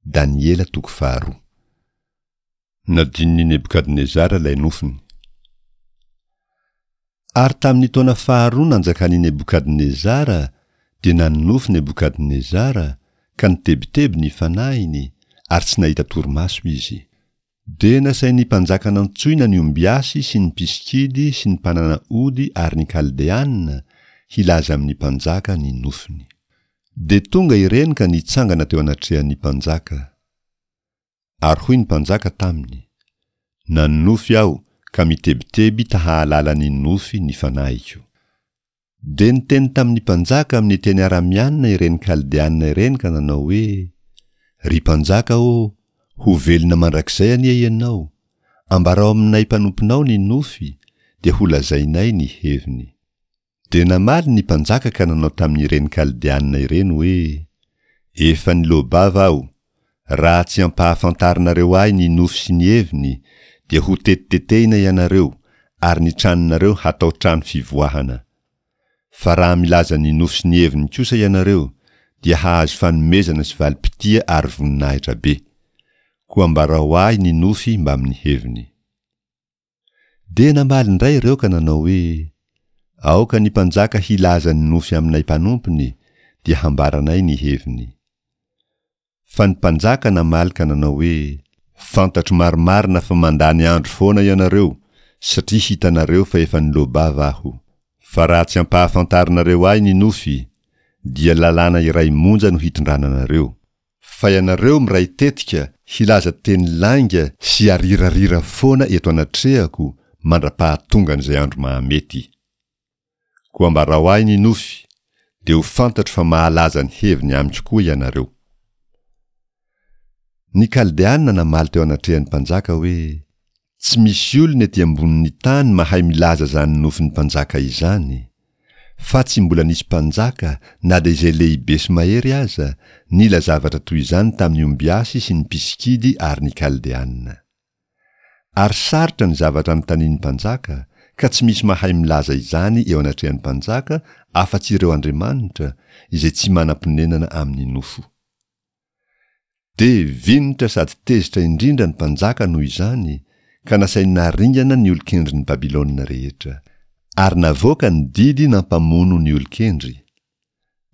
Daniela toko faharoa. Nadinon'i Nebokadnezara ilay nofiny. Ary tamin'ny taona faharoa nanjakan'i Nebokadnezara, dia nanonofy Nebokadnezara, ka nitebiteby ny fanahiny, ary tsy nahita torimaso izy. Dia nasain'ny mpanjaka nantsoina ny ombiasy sy ny mpisikidy sy ny mpanana ody ary ny Kaldeana hilaza amin'ny mpanjaka ny nofiny. Dia tonga ireny ka nitsangana teo anatrehan'ny mpanjaka. Ary hoy ny mpanjaka taminy, Nanonofy aho ka mitebiteby ta-hahalala ny nofy ny fanahiko. Dia niteny tamin'ny mpanjaka amin'ny teny aramianina ireny Kaldeanina ireny ka nanao hoe, Ry mpanjaka ô, ho velona mandrakizay anie ianao! Ambarao aminay mpanomponao ny nofy, dia holazainay ny heviny. Dia namaly ny mpanjaka ka nanao tamin'ireny Kaldeanina ireny hoe, Efa niloa-bava aho, raha tsy ampahafantarinareo ahy ny nofy sy ny heviny, dia ho tetitetehina ianareo, ary ny tranonareo hatao trano fivoahana. Fa raha milaza ny nofy sy ny heviny kosa ianareo, dia hahazo fanomezana sy valim-pitia ary voninahitra be. Koa ambarao ahy ny nofy mbamin'ny heviny. Dia namaly indray ireo ka nanao hoe, Aoka ny mpanjaka hilaza ny nofy aminay mpanompony, dia hambaranay ny heviny. Fa ny mpanjaka namaly ka nanao hoe, Fantatro marimarina fa mandany andro foana ianareo, satria hitanareo fa efa niloa-bava aho. Fa raha tsy ampahafantarinareo ahy ny nofy, dia lalàna iray monja no hitondrana anareo, Fa ianareo miray tetika hilaza teny lainga sy arirarira foana eto anatrehako mandra-pahatongan'izay andro mahamety. Koa ambarao ahy ny nofy, dia ho fantatro fa mahalaza ny heviny amiko koa ianareo. Ny Kaldeana namaly teo anatrehan'ny mpanjaka hoe, Tsy misy olona ety ambonin'ny tany mahay milaza izany nofin'ny mpanjaka izany. Fa tsy mbola nisy mpanjaka, na dia izay lehibe sy mahery aza, nila zavatra toy izany tamin'ny ombiasy sy ny mpisikidy ary ny Kaldeana. Ary sarotra ny zavatra anontanian'ny mpanjaka, ka tsy misy mahay milaza izany eo anatrehan'ny mpanjaka afa-tsy ireo andriamanitra, izay tsy manam-ponenana amin'ny nofo. Dia vinitra sady tezitra indrindra ny mpanjaka noho izany, ka nasainy naringana ny olon-kendrin'i Babylona rehetra. Ary navoaka ny didy nampamono ny olon-kendry.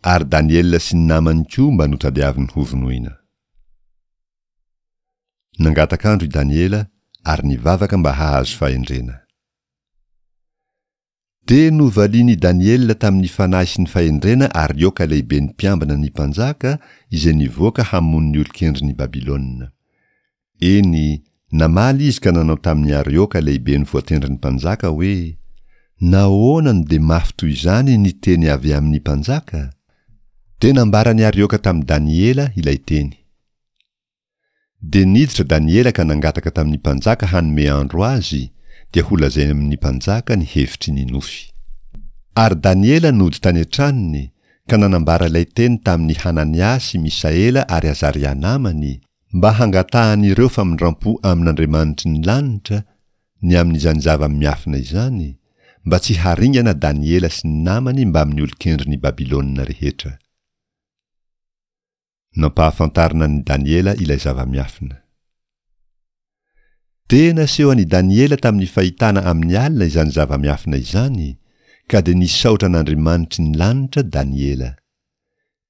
Ary Daniela sy ny namany koa mba notadiaviny hovonoina. Nangataka andro i Daniela ary nivavaka mba hahazo fahendrena. Dia novalian' i Daniela tamin' ny fanahy sy ny fahendrena Arioka lehiben' ny mpiambina ny mpanjaka izay nivoaka hamono ny olon-kendrin' i Babylona. Eny, namaly izy ka nanao tamin' i Arioka lehiben' voatendrin' ny mpanjaka hoe, Nahoana no dia mafy toy izany ny teny avy amin' ny mpanjaka? Dia nambaran' i Arioka tamin'i Daniela ilay teny. Dia niditra Daniela ka nangataka tamin'ny mpanjaka hanome andro azy, dia holazainy amin'ny mpanjaka ny hevitry ny nofy. Ary Daniela nody tany an-tranony ka nanambara ilay teny tamin'i Hanania sy Misaela ary Azaria namany, mba hangatahan'ireo famindrampo amin'Andriamanitry ny lanitra ny amin'izany zava-miafina izany, mba tsy haringana Daniela sy ny namany mbamin'ny olon-kendrin'i Babylona rehetra. Nampahafantarina an'i Daniela ilay zava-miafina. Dia naseho an'i Daniela tamin'ny fahitana amin'ny alina izany zava-miafina izany, ka dia nisaotra an'Andriamanitry ny lanitra Daniela.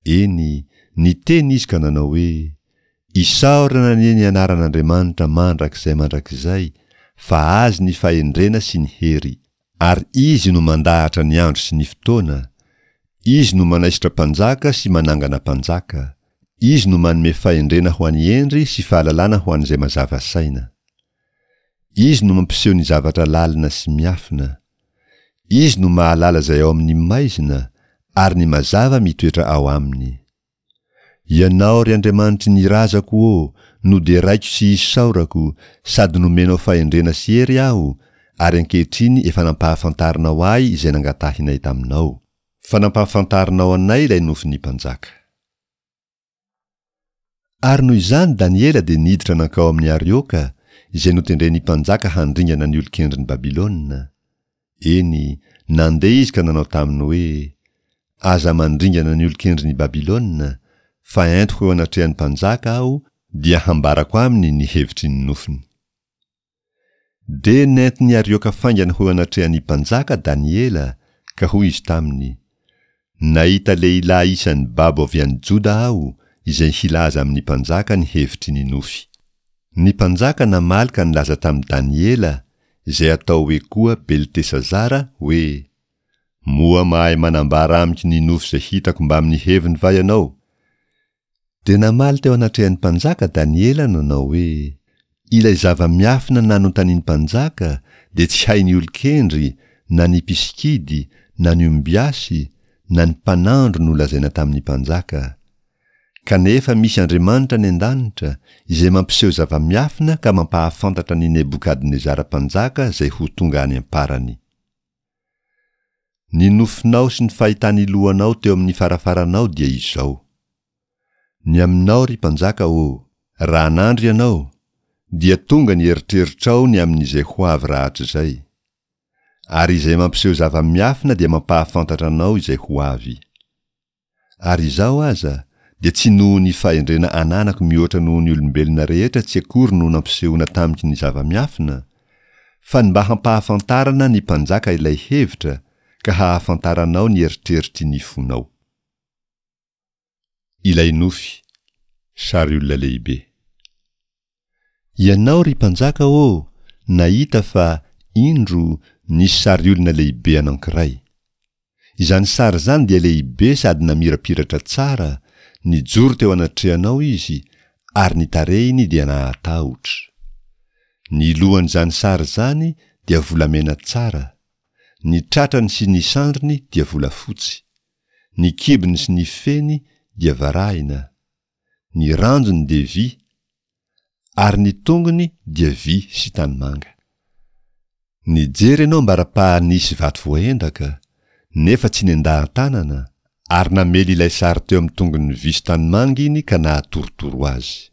Eny, niteny izy ka nanao hoe, Isaorana anie ny anaran'Andriamanitra mandrakizay mandrakizay, fa Azy ny fahendrena sy ny hery. Ary Izy no mandahatra ny andro sy ny fotoana, Izy no manaisotra mpanjaka sy manangana mpanjaka, Izy no manome fahendrena ho an'ny hendry sy fahalalana ho an'izay mazava saina. Izy no mampiseho ny zavatra lalina sy miafina. Izy no mahalala izay ao amin'ny maizina, ary ny mazava mitoetra ao aminy. Ianao, ry Andriamanitry ny razako ô, no deraiko sy isaorako, sady nomenao fahendrena sy hery aho, ary ankehitriny efa nampahafantarinao ahy izay nangatahinay taminao. Fa nampahafantarinao anay ilay nofin'ny mpanjaka. Ary noho izany Daniela dia niditra nankao amin'i Arioka, izay notendren'ny mpanjaka handringana ny olon-kendrin'i Babylona. Eny, nandeha izy ka nanao taminy hoe, Aza mandringana ny olon-kendrin' i Babylona, fa entiko eo anatrehan'ny mpanjaka aho. dia hambarako aminy ny hevitry ny nofiny. Dia nentin'i Arioka faingana ho eo anatrehan'ny mpanjaka Daniela, ka hoy izy taminy, Nahita lehilahy isan'ny babo avy any Joda aho, izay hilaza amin'ny mpanjaka ny hevitry ny nofy. Ny mpanjaka namaly ka nilaza tamin'i Daniela, izay atao hoe koa Beltesazara, hoe, Moa mahay manambara amiko ny nofy izay hitako mbamin'ny heviny va ianao? Dia namaly teo anatrehan'ny mpanjaka Daniela nanao hoe, Ilay zava-miafina nanontanian'ny mpanjaka dia tsy hain'ny olon-kendry na ny mpisikidy na ny ombiasy na ny mpanandro nolazaina tamin'ny mpanjaka. Kanefa misy Andriamanitra any an-danitra izay mampiseho zava-miafina ka mampahafantatra an'i Nebokadnezara mpanjaka izay ho tonga any am-parany. Ny nofinao sy ny fahitan'ny lohanao teo amin'ny farafaranao dia izao. Ny aminao, ry mpanjaka ô, raha nandry ianao, dia tonga ny eritreritrao ny amin'izay ho avy rahatrizay. Ary izay mampiseho zava-miafina dia mampahafantatra anao izay ho avy. Ary izaho aza, dia tsy noho ny fahendrena ananako mihoatra noho ny olombelona rehetra tsy akory no nampisehoana tamiko ny zava-miafina, fa ny mba hampahafantarana ny mpanjaka ilay hevitra, ka hahafantaranao ny eritreritry ny fonao. Ilay nofy, sary olona lehibe. Ianao, ry mpanjaka ô, nahita fa, indro, nisy sary olona lehibe anankiray. Izany sary izany dia lehibe sady namirapiratra tsara, nijoro teo anatrehanao izy, ary ny tarehiny dia nahatahotra. Ny lohan'izany sary izany dia volamena tsara, ny tratrany sy ny sandriny dia volafotsy, ny kibony sy ny feny dia varahina, ny ranjony dia vy, ary ny tongony dia vy sy tanimanga. Nijery ianao ambara-paha nisy vato voaendaka, nefa tsy nendahan-tanana, ary namely ilay sary teo amin'ny tongony vy sy tanimanga iny ka nahatorotoro azy.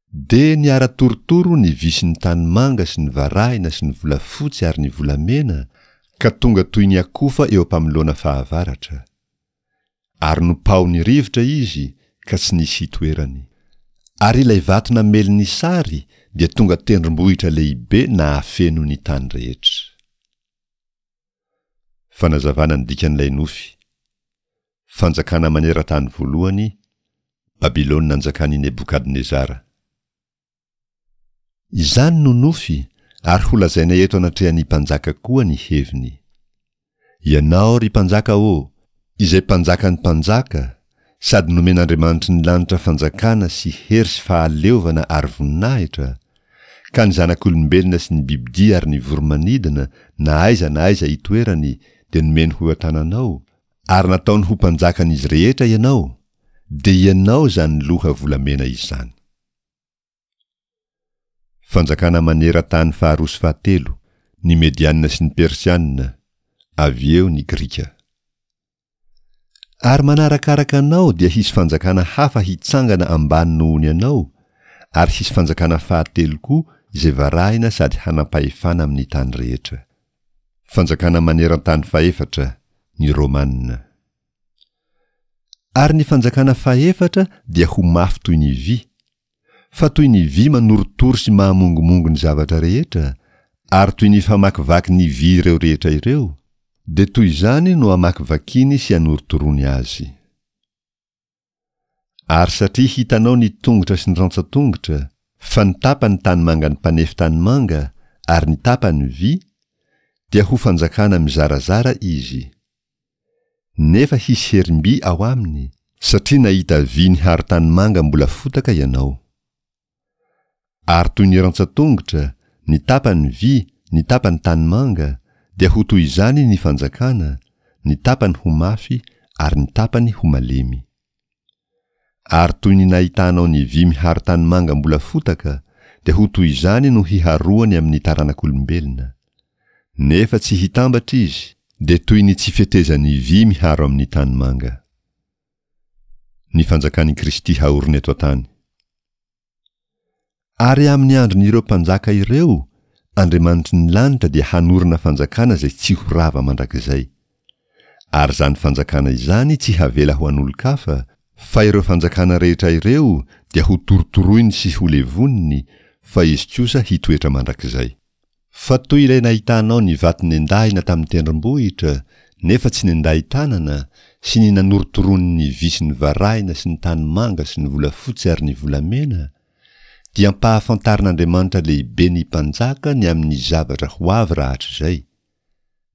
Dia niara-torotoro ny vy sy ny tanimanga sy ny varahina sy ny volafotsy ary ny volamena, ka tonga toy ny akofa eo am-pamoloana fahavaratra. Ary nopaohin'ny rivotra izy ka tsy nisy hitoerany. Ary ilay vato namely ny sary dia tonga tendrombohitra lehibe nahafeno ny tany rehetra. Fanazavana ny dikan'ilay nofy. Fanjakana maneran-tany voalohany, Babylona nanjakan'i Nebokadnezara. Izany no nofy, ary holazaina eto anatrehan'ny mpanjaka koa ny heviny. Ianao, ry mpanjaka ô, izay mpanjakan'ny mpanjaka, sady nomen'Andriamanitry ny lanitra fanjakana sy hery sy fahaleovana ary voninahitra, ka ny zanak'olombelona sy ny bibidia ary ny voro-manidina na aiza na aiza itoerany dia nomeny ho eo an-tananao, ary nataony ho mpanjakan'izy rehetra ianao, dia ianao izany loha volamena izany. Fanjakana maneran-tany faharoa sy fahatelo, ny Mediana sy ny Persiana, avy eo ny Grika. Ary manarakaraka anao dia hisy fanjakana hafa hitsangana ambany noho ny anao, ary hisy fanjakana fahatelo koa izay varahina sady hanam-pahefana amin'ny tany rehetra. Fanjakana maneran-tany fahefatra, ny Romana. Ary ny fanjakana fahefatra dia ho mafy toy ny vy, fa toy ny vy manorotoro sy mahamongomongo ny zavatra rehetra, ary toy ny famakivaky ny vy ireo rehetra ireo, dia toy izany no amakivakiany sy anorotoroany azy. Ary satria hitanao ny tongotra sy ny rantsan-tongotra, fa ny tapany tanimangan'ny mpanefy tanimanga ary ny tapany vy, dia ho fanjakana mizarazara izy. Nefa hisy herim-by ao aminy, satria nahita vy niharo tanimanga mbola fotaka ianao. Ary toy ny rantsan-tongotra, ny tapany vy, ny tapany tanimanga, dia ho toy izany ny fanjakana, ny tapany ho mafy ary ny tapany ho malemy. Ary toy ny nahitanao ny vy miharo tanimanga mbola fotaka, dia ho toy izany no hiharoany amin'ny taranak'olombelona. Nefa tsy hitambatra izy, dia toy ny tsy fetezan'ny vy miharo amin'ny tanimanga. Ny fanjakan'i Kristy haorina eto an-tany. Ary amin'ny andron'ireo mpanjaka ireo, Andriamanitry ny lanitra dia hanorina fanjakana izay tsy ho rava mandrakizay. Ary izany fanjakana izany tsy havela ho an'olon-kafa, fa ireo fanjakana rehetra ireo dia hotorotoroiny sy holevoniny, fa izy kosa hitoetra mandrakizay. Fa toy ilay nahitanao ny vato nendahina tamin'ny tendrombohitra, nefa tsy nendahi-tanana, sy ny nanorotoroany ny vy sy ny varahina sy ny tanimanga sy ny volafotsy ary ny volamena, dia ampahafantarin'Andriamanitra lehibe ny mpanjaka ny amin'ny zavatra ho avy rahatrizay.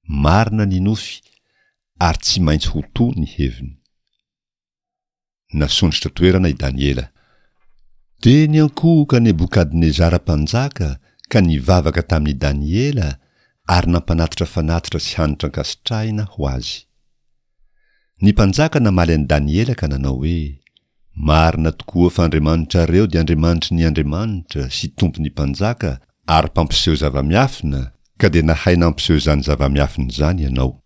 Marina ny nofy, ary tsy maintsy ho to ny heviny. Nasondrotra toerana i Daniela. Dia niankohoka Nebokadnezara mpanjaka ka nivavaka tamin'i Daniela ary nampanatitra fanatitra sy hanitra ankasitrahina ho azy. Ny mpanjaka namaly an'i Daniela ka nanao hoe, Marina tokoa fa Andriamanitrareo dia Andriamanitry ny andriamanitra sy Tompon'ny mpanjaka ary mpampiseho zava-miafina, ka dia nahay nampiseho izany zava-miafina izany ianao.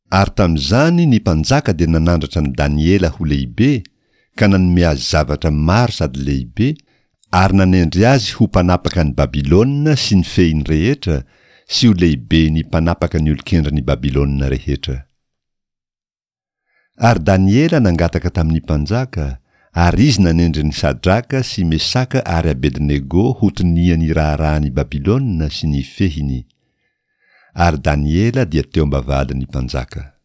Ary tamin'izany ny mpanjaka dia nanandratra an'i Daniela ho lehibe, ka nanome azy zavatra maro sady lehibe, ary nanendry azy ho mpanapaka an'i Babylona sy ny fehiny rehetra, sy ho lehiben'ny mpanapaka ny olon-kendrin'i Babylona rehetra. Ary Daniela nangataka tamin'ny mpanjaka, ary izy nanendry an'i Sadraka sy Mesaka ary Abednego ho tonian'ny raharahan'i Babylona sy ny fehiny. Ary Daniela dia teo am-bavahadin'ny mpanjaka.